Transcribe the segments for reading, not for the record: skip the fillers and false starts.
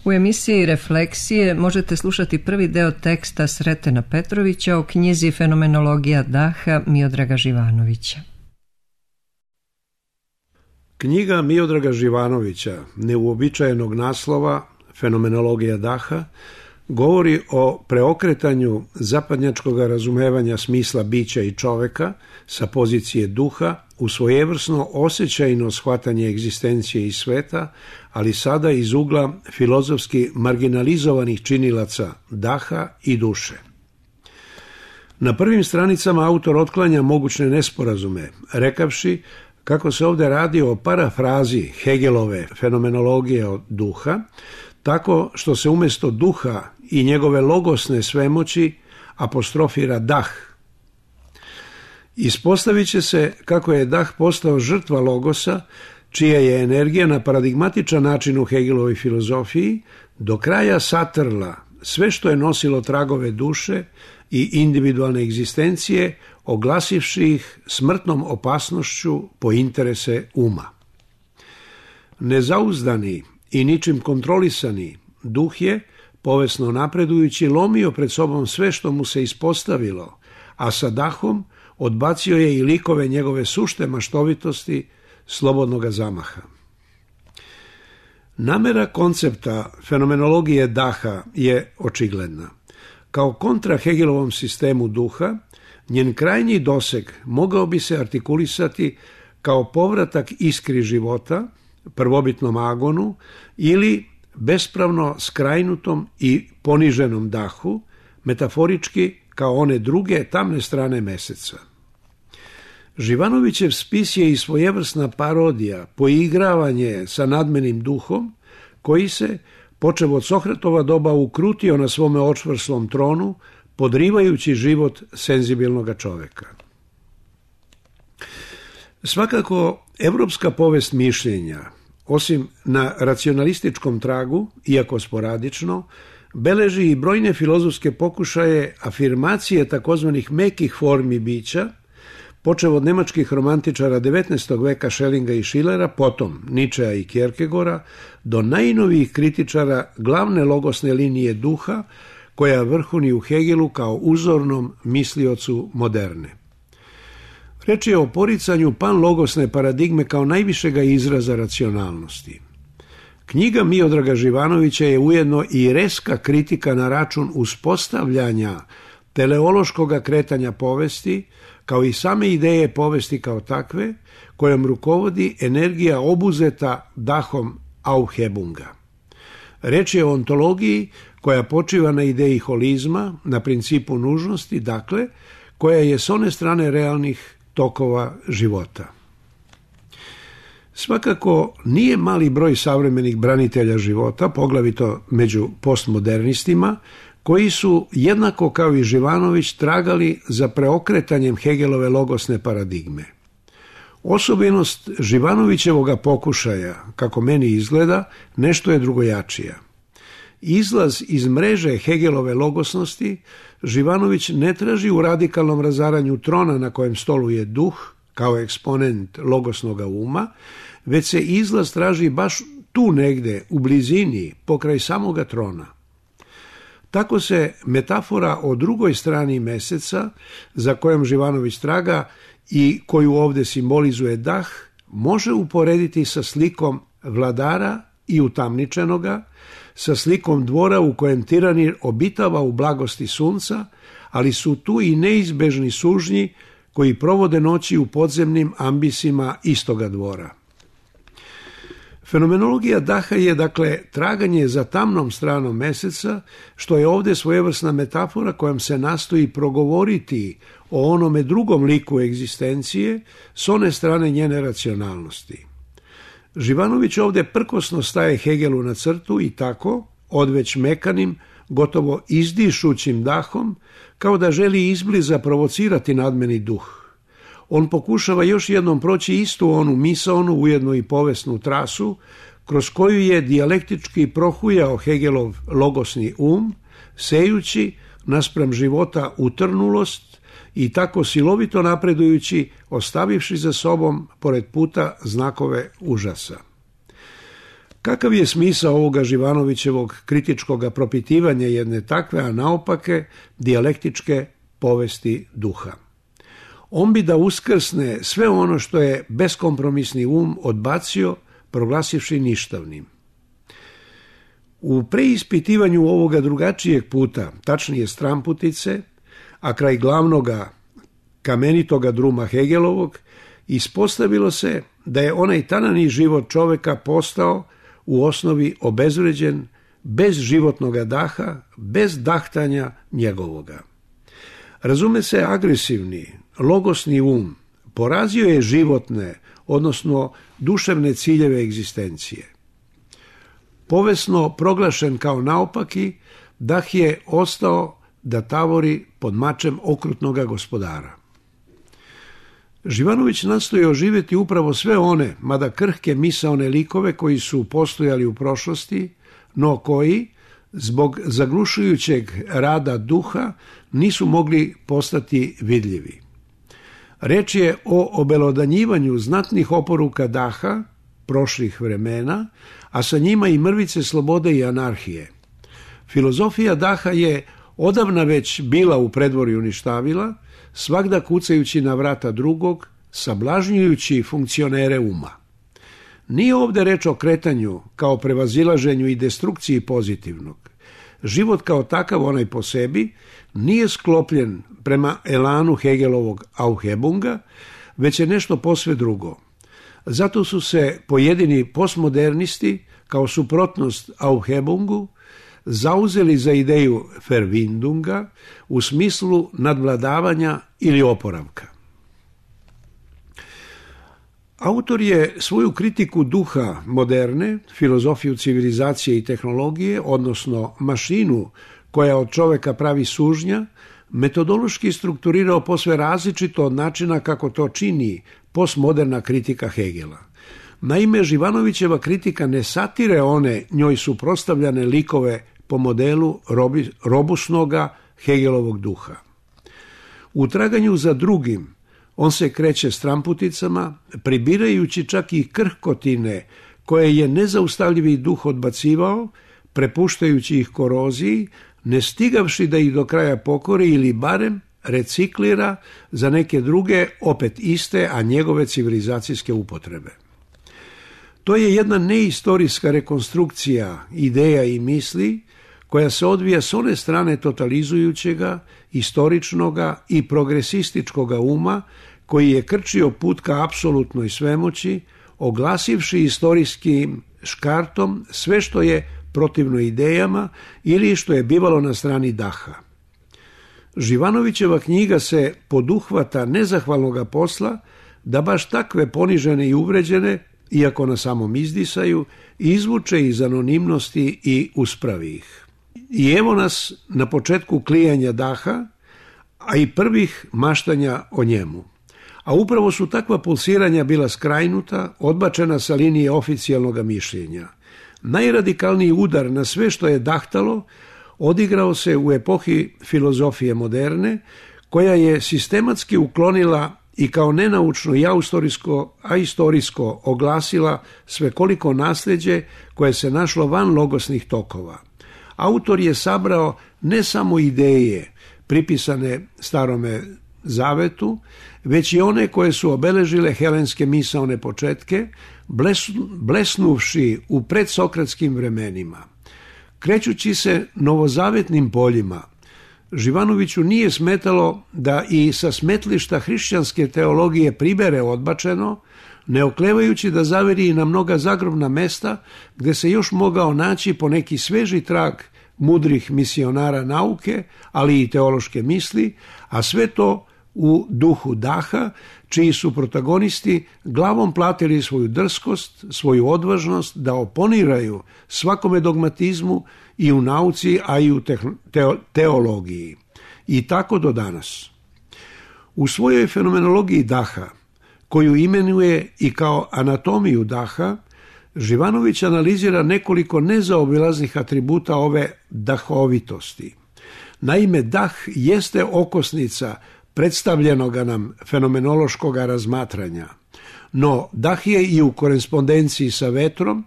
U emisiji Refleksije možete slušati prvi deo teksta Sretena Petrovića o knjizi Fenomenologija daha Miodraga Živanovića. Knjiga Miodraga Živanovića, neuobičajenog naslova Fenomenologija daha, govori o preokretanju zapadnjačkog razumevanja smisla bića i čoveka sa pozicije duha u svojevrsno osjećajno shvatanje egzistencije i sveta, ali sada iz ugla filozofski marginalizovanih činilaca daha i duše. Na prvim stranicama autor otklanja mogućne nesporazume, rekavši kako se ovdje radi o parafrazi Hegelove fenomenologije od duha, tako što se umjesto duha i njegove logosne svemoći apostrofira dah. Ispostavit će se kako je dah postao žrtva logosa, čija je energija na paradigmatičan način u Hegelovoj filozofiji do kraja satrla sve što je nosilo tragove duše i individualne egzistencije, oglasivši ih smrtnom opasnošću po interese uma. Nezauzdani i ničim kontrolisani duh je, povesno napredujući, lomio pred sobom sve što mu se ispostavilo, a sa dahom odbacio je i likove njegove sušte maštovitosti, slobodnoga zamaha. Namera koncepta fenomenologije daha je očigledna. Kao kontra Hegelovom sistemu duha, njen krajnji doseg mogao bi se artikulisati kao povratak iskri života, prvobitnom agonu ili bespravno skrajnutom i poniženom dahu, metaforički kao one druge tamne strane meseca. Živanovićev spis je i svojevrsna parodija, poigravanje sa nadmenim duhom, koji se, počev od Sokratova doba, ukrutio na svome očvrslom tronu, podrivajući život senzibilnoga čoveka. Svakako, evropska povest mišljenja, osim na racionalističkom tragu, iako sporadično, beleži i brojne filozofske pokušaje afirmacije takozvanih mekih formi bića, počev od nemačkih romantičara 19. veka Schellinga i Schillera, potom Nietzschea i Kierkegaarda, do najnovijih kritičara glavne logosne linije duha, koja vrhuni u Hegelu kao uzornom misliocu moderne. Reč je o poricanju panlogosne paradigme kao najvišega izraza racionalnosti. Knjiga Miodraga Živanovića je ujedno i reska kritika na račun uspostavljanja teleološkog kretanja povesti, kao i same ideje povesti kao takve, kojom rukovodi energija obuzeta dahom Aufhebunga. Reč je o ontologiji koja počiva na ideji holizma, na principu nužnosti, dakle, koja je s one strane realnih tokova života. Svakako nije mali broj savremenih branitelja života, poglavito među postmodernistima, koji su, jednako kao i Živanović, tragali za preokretanjem Hegelove logosne paradigme. Osobenost Živanovićevoga pokušaja, kako meni izgleda, nešto je drugojačija. Izlaz iz mreže Hegelove logosnosti Živanović ne traži u radikalnom razaranju trona na kojem stoluje duh, kao eksponent logosnoga uma, već se izlaz traži baš tu negde, u blizini, pokraj samoga trona. Tako se metafora o drugoj strani meseca, za kojom Živanović traga i koju ovdje simbolizuje dah, može uporediti sa slikom vladara i utamničenoga, sa slikom dvora u kojem tiranir obitava u blagosti sunca, ali su tu i neizbežni sužnji koji provode noći u podzemnim ambisima istoga dvora. Fenomenologija daha je, dakle, traganje za tamnom stranom meseca, što je ovdje svojevrsna metafora kojom se nastoji progovoriti o onome drugom liku egzistencije s one strane njene racionalnosti. Živanović ovdje prkosno staje Hegelu na crtu i tako, odveć mekanim, gotovo izdišućim dahom, kao da želi izbliza provocirati nadmeni duh. On pokušava još jednom proći istu onu misaonu, ujedno i povesnu trasu, kroz koju je dijalektički prohujao Hegelov logosni sejući naspram života utrnulost i tako silovito napredujući, ostavivši za sobom pored puta znakove užasa. Kakav je smisao ovoga Živanovićevog kritičkog propitivanja jedne takve, a naopake, dijalektičke povesti duha? On bi da uskrsne sve ono što je beskompromisni odbacio, proglasivši ništavnim. U preispitivanju ovoga drugačijeg puta, tačnije stramputice, a kraj glavnoga kamenitoga druma Hegelovog, ispostavilo se da je onaj tanani život čoveka postao u osnovi obezvređen, bez životnoga daha, bez dahtanja njegovoga. Razume se, agresivni, logosni porazio je životne, odnosno duševne ciljeve egzistencije. Povesno proglašen kao naopaki, dah je ostao da tavori pod mačem okrutnoga gospodara. Živanović nastoji oživjeti upravo sve one, mada krhke misaone likove koji su postojali u prošlosti, no koji, zbog zaglušujućeg rada duha, nisu mogli postati vidljivi. Reč je o obelodanjivanju znatnih oporuka daha, prošlih vremena, a sa njima i mrvice slobode i anarhije. Filozofija daha je odavna već bila u predvorju ništavila, svagda kucajući na vrata drugog, sablažnjujući funkcionere uma. Nije ovdje reč o kretanju kao prevazilaženju i destrukciji pozitivnog. Život kao takav, onaj po sebi, nije sklopljen prema elanu Hegelovog Aufhebunga, već je nešto posve drugo. Zato su se pojedini postmodernisti, kao suprotnost Aufhebungu, zauzeli za ideju Verwindunga u smislu nadvladavanja ili oporavka. Autor je svoju kritiku duha moderne, filozofiju civilizacije i tehnologije, odnosno mašinu koja od čoveka pravi sužnja, metodološki strukturirao posve različito od načina kako to čini postmoderna kritika Hegela. Naime, Živanovićeva kritika ne satire one njoj suprotstavljane likove po modelu robusnoga Hegelovog duha. U traganju za drugim on se kreće stramputicama, pribirajući čak i krhkotine koje je nezaustavljivi duh odbacivao, prepuštajući ih koroziji, ne stigavši da ih do kraja pokori ili barem reciklira za neke druge, opet iste, a njegove civilizacijske upotrebe. To je jedna neistorijska rekonstrukcija ideja i misli koja se odvija s one strane totalizujućega, istoričnoga i progresističkoga uma koji je krčio put ka apsolutnoj svemoći, oglasivši istorijskim škartom sve što je protivno idejama ili što je bivalo na strani daha. Živanovićeva knjiga se poduhvata nezahvalnoga posla da baš takve ponižene i uvređene, iako na samom izdisaju, izvuče iz anonimnosti i uspravi ih. I evo nas na početku klijanja daha, a i prvih maštanja o njemu. A upravo su takva pulsiranja bila skrajnuta, odbačena sa linije oficijalnog mišljenja. Najradikalniji udar na sve što je dahtalo odigrao se u epohi filozofije moderne, koja je sistematski uklonila i kao nenaučno i istorijsko oglasila svekoliko nasljeđe koje se našlo van logosnih tokova. Autor je sabrao ne samo ideje pripisane Starome Zavetu, već i one koje su obeležile helenske misaone početke, blesnuvši u predsokratskim vremenima. Krećući se novozavetnim poljima, Živanoviću nije smetalo da i sa smetlišta hrišćanske teologije pribere odbačeno, ne oklevajući da zaveri na mnoga zagrobna mesta gde se još mogao naći po neki sveži trag mudrih misionara nauke, ali i teološke misli, a sve to u duhu daha, čiji su protagonisti glavom platili svoju drskost, svoju odvažnost da oponiraju svakome dogmatizmu i u nauci, a i u teologiji. I tako do danas. U svojoj fenomenologiji daha, koju imenuje i kao anatomiju daha, Živanović analizira nekoliko nezaobilaznih atributa ove dahovitosti. Naime, dah jeste okosnica predstavljenoga nam fenomenološkog razmatranja, no dah je i u korespondenciji sa vetrom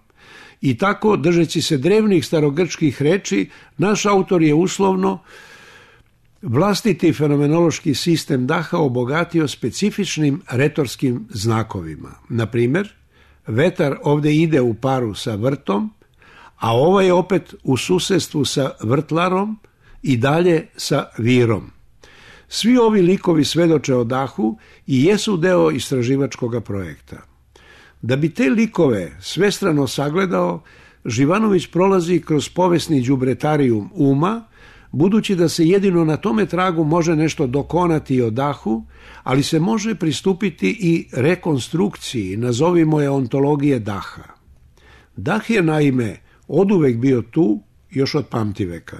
I tako, držeći se drevnih starogrčkih reči, naš autor je uslovno vlastiti fenomenološki sistem daha obogatio specifičnim retorskim znakovima. Na primjer, vetar ovdje ide u paru sa vrtom, a ovaj je opet u susjedstvu sa vrtlarom i dalje sa virom. Svi ovi likovi svedoče o dahu i jesu deo istraživačkog projekta. Da bi te likove svestrano sagledao, Živanović prolazi kroz povesni đubretarijum uma, budući da se jedino na tome tragu može nešto dokonati o dahu, ali se može pristupiti i rekonstrukciji, nazovimo je ontologije daha. Dah je naime oduvek bio tu, još od pamtiveka.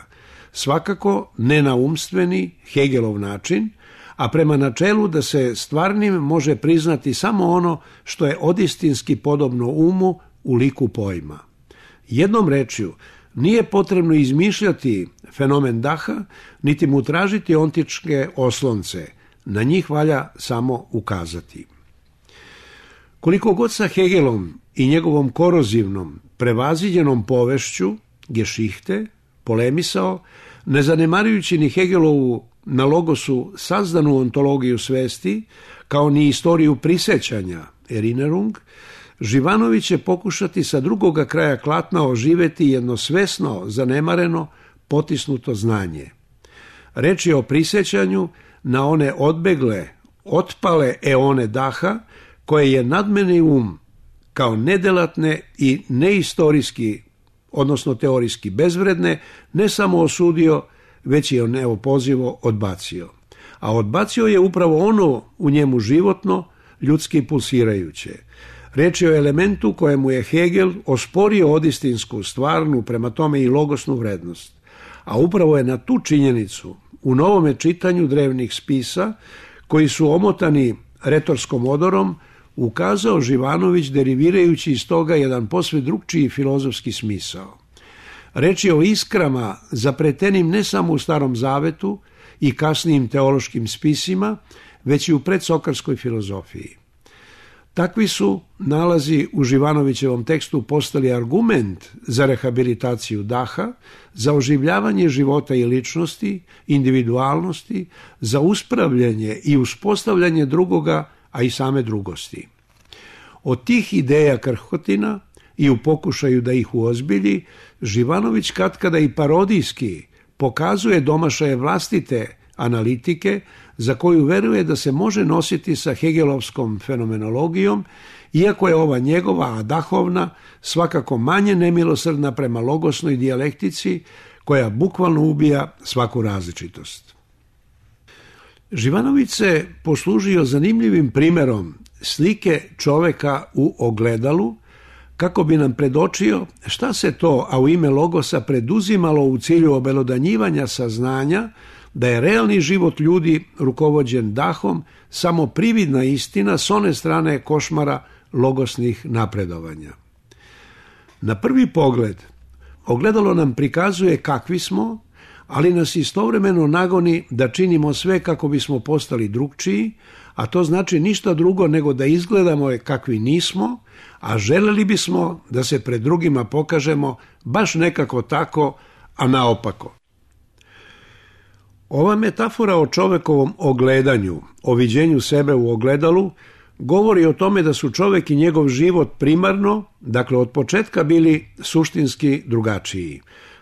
Svakako ne na umstveni, Hegelov način, a prema načelu da se stvarnim može priznati samo ono što je odistinski podobno umu u liku pojma. Jednom rečju, nije potrebno izmišljati fenomen daha, niti mu tražiti ontičke oslonce. Na njih valja samo ukazati. Koliko god sa Hegelom i njegovom korozivnom, prevaziđenom povešću, Geschichte, polemisao, ne zanemarujući ni Hegelovu na logosu sazdanu ontologiju svesti, kao ni istoriju prisjećanja, Erinnerung, Živanović će pokušati sa drugoga kraja klatna oživeti jedno svesno, zanemareno, potisnuto znanje. Reč je o prisjećanju na one odbegle, otpale eone daha, koje je nadmeni um kao nedelatne i neistorijski, odnosno teorijski bezvredne, ne samo osudio, već je neopozivo odbacio. A odbacio je upravo ono u njemu životno, ljudski pulsirajuće. Reč je o elementu kojemu je Hegel osporio odistinsku, stvarnu, prema tome i logosnu vrednost. A upravo je na tu činjenicu u novome čitanju drevnih spisa, koji su omotani retorskom odorom, ukazao Živanović, derivirajući iz toga jedan posve drugčiji filozofski smisao. Reč je o iskrama zapletenim ne samo u Starom Zavetu i kasnijim teološkim spisima, već i u predsokarskoj filozofiji. Takvi su nalazi u Živanovićevom tekstu postali argument za rehabilitaciju daha, za oživljavanje života i ličnosti, individualnosti, za uspravljanje i uspostavljanje drugoga, a i same drugosti. Od tih ideja krhotina i u pokušaju da ih uozbilji, Živanović katkada i parodijski pokazuje domašaje vlastite analitike za koju veruje da se može nositi sa hegelovskom fenomenologijom, iako je ova njegova, a dahovna, svakako manje nemilosrdna prema logosnoj dijalektici koja bukvalno ubija svaku različitost. Živanović se poslužio zanimljivim primjerom slike čoveka u ogledalu, kako bi nam predočio šta se to, a u ime logosa, preduzimalo u cilju obelodanjivanja saznanja da je realni život ljudi rukovođen dahom samo prividna istina s one strane košmara logosnih napredovanja. Na prvi pogled, ogledalo nam prikazuje kakvi smo, ali nas istovremeno nagoni da činimo sve kako bismo postali drugčiji, a to znači ništa drugo nego da izgledamo kakvi nismo, a želeli bismo da se pred drugima pokažemo baš nekako tako, a naopako. Ova metafora o čovekovom ogledanju, o viđenju sebe u ogledalu, govori o tome da su čovek i njegov život primarno, dakle od početka, bili suštinski drugačiji.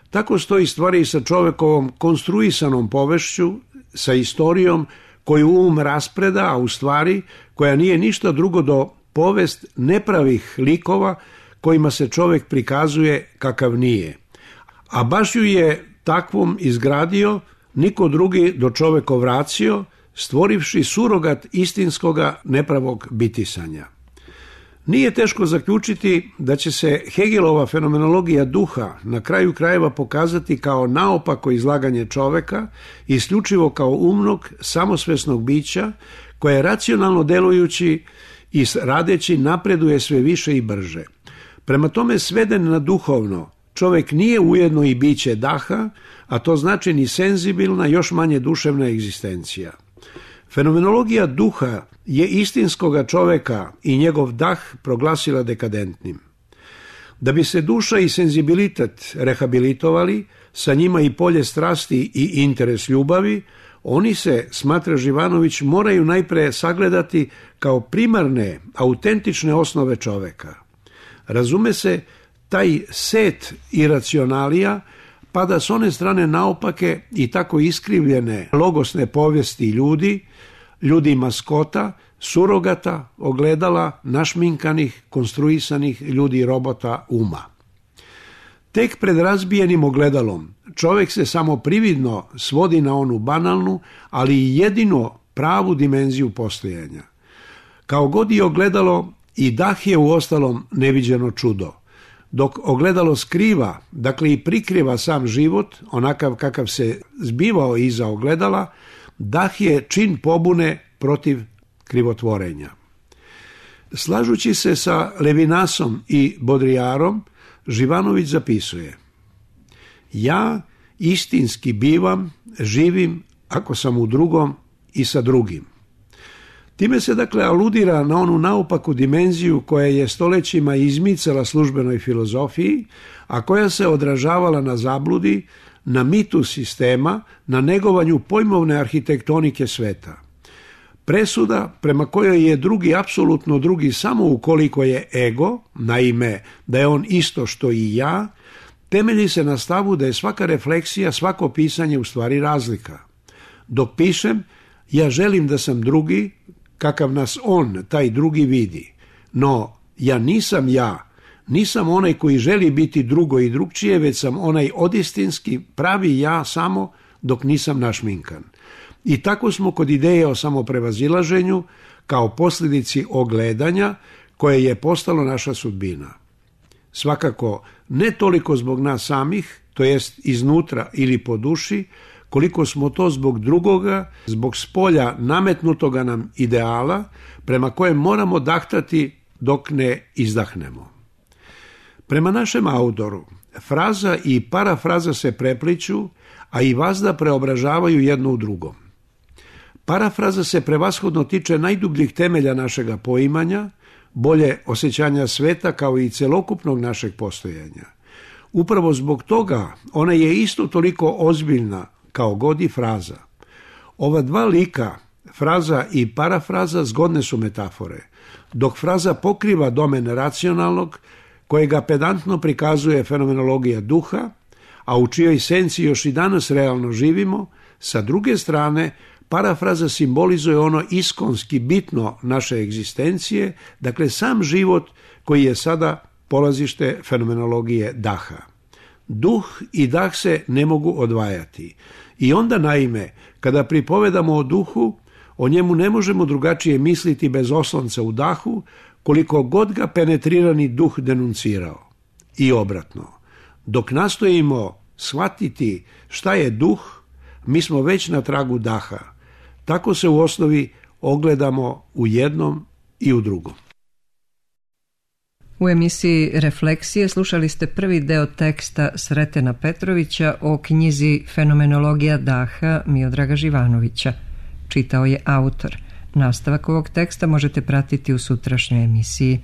Tako stoji stvari i sa čovekovom konstruisanom povešću, sa istorijom koju um raspreda, a u stvari koja nije ništa drugo do povest nepravih likova kojima se čovek prikazuje kakav nije. A baš ju je takvom izgradio niko drugi do čovekov racio, stvorivši surogat istinskoga nepravog bitisanja. Nije teško zaključiti da će se Hegelova fenomenologija duha na kraju krajeva pokazati kao naopako izlaganje čoveka, isključivo kao umnog, samosvesnog bića, koje racionalno delujući i radeći napreduje sve više i brže. Prema tome, sveden na duhovno, čovek nije ujedno i biće daha, a to znači ni senzibilna, još manje duševna egzistencija. Fenomenologija duha je istinskoga čoveka i njegov dah proglasila dekadentnim. Da bi se duša i senzibilitet rehabilitovali, sa njima i polje strasti i interes ljubavi, oni se, smatra Živanović, moraju najpre sagledati kao primarne, autentične osnove čoveka. Razume se, taj set iracionalija pada s one strane naopake i tako iskrivljene logosne povijesti ljudi maskota, surogata, ogledala, našminkanih, konstruisanih ljudi robota uma. Tek pred razbijenim ogledalom čovjek se samo prividno svodi na onu banalnu, ali i jedino pravu dimenziju postojanja. Kao god je ogledalo, i dah je uostalom neviđeno čudo. Dok ogledalo skriva, dakle i prikriva sam život, onakav kakav se zbivao iza ogledala, dah je čin pobune protiv krivotvorenja. Slažući se sa Levinasom i Baudrillardom, Živanović zapisuje: ja istinski bivam, živim ako sam u drugom i sa drugim. Time se dakle aludira na onu naopaku dimenziju koja je stolećima izmicala službenoj filozofiji, a koja se odražavala na zabludi, na mitu sistema, na negovanju pojmovne arhitektonike sveta. Presuda prema kojoj je drugi apsolutno drugi samo ukoliko je ego, naime da je on isto što i ja, temelji se na stavu da je svaka refleksija, svako pisanje u stvari razlika. Dok pišem, ja želim da sam drugi, kakav nas on, taj drugi, vidi. No, ja, nisam onaj koji želi biti drugo i drugčije, već sam onaj odistinski, pravi ja samo dok nisam našminkan. I tako smo kod ideje o samoprevazilaženju, kao posljedici ogledanja koje je postalo naša sudbina. Svakako, ne toliko zbog nas samih, to jest iznutra ili po duši, koliko smo to zbog drugoga, zbog spolja nametnutoga nam ideala, prema kojem moramo dahtati dok ne izdahnemo. Prema našem autoru, fraza i parafraza se prepliću, a i vazda preobražavaju jedno u drugom. Parafraza se prevashodno tiče najdubljih temelja našega poimanja, bolje osjećanja sveta kao i celokupnog našeg postojanja. Upravo zbog toga ona je isto toliko ozbiljna kao god i fraza. Ova dva lika, fraza i parafraza, zgodne su metafore, dok fraza pokriva domen racionalnog, kojega pedantno prikazuje fenomenologija duha, a u čijoj esenciji još i danas realno živimo, sa druge strane, parafraza simbolizuje ono iskonski bitno naše egzistencije, dakle sam život koji je sada polazište fenomenologije daha. Duh i dah se ne mogu odvajati. I onda, naime, kada pripovedamo o duhu, o njemu ne možemo drugačije misliti bez oslonca u dahu, koliko god ga penetrirani duh denuncirao. I obratno, dok nastojimo shvatiti šta je duh, mi smo već na tragu daha. Tako se u osnovi ogledamo u jednom i u drugom. U emisiji Refleksije slušali ste prvi deo teksta Sretena Petrovića o knjizi Fenomenologija daha Miodraga Živanovića. Čitao je autor. Nastavak ovog teksta možete pratiti u sutrašnjoj emisiji.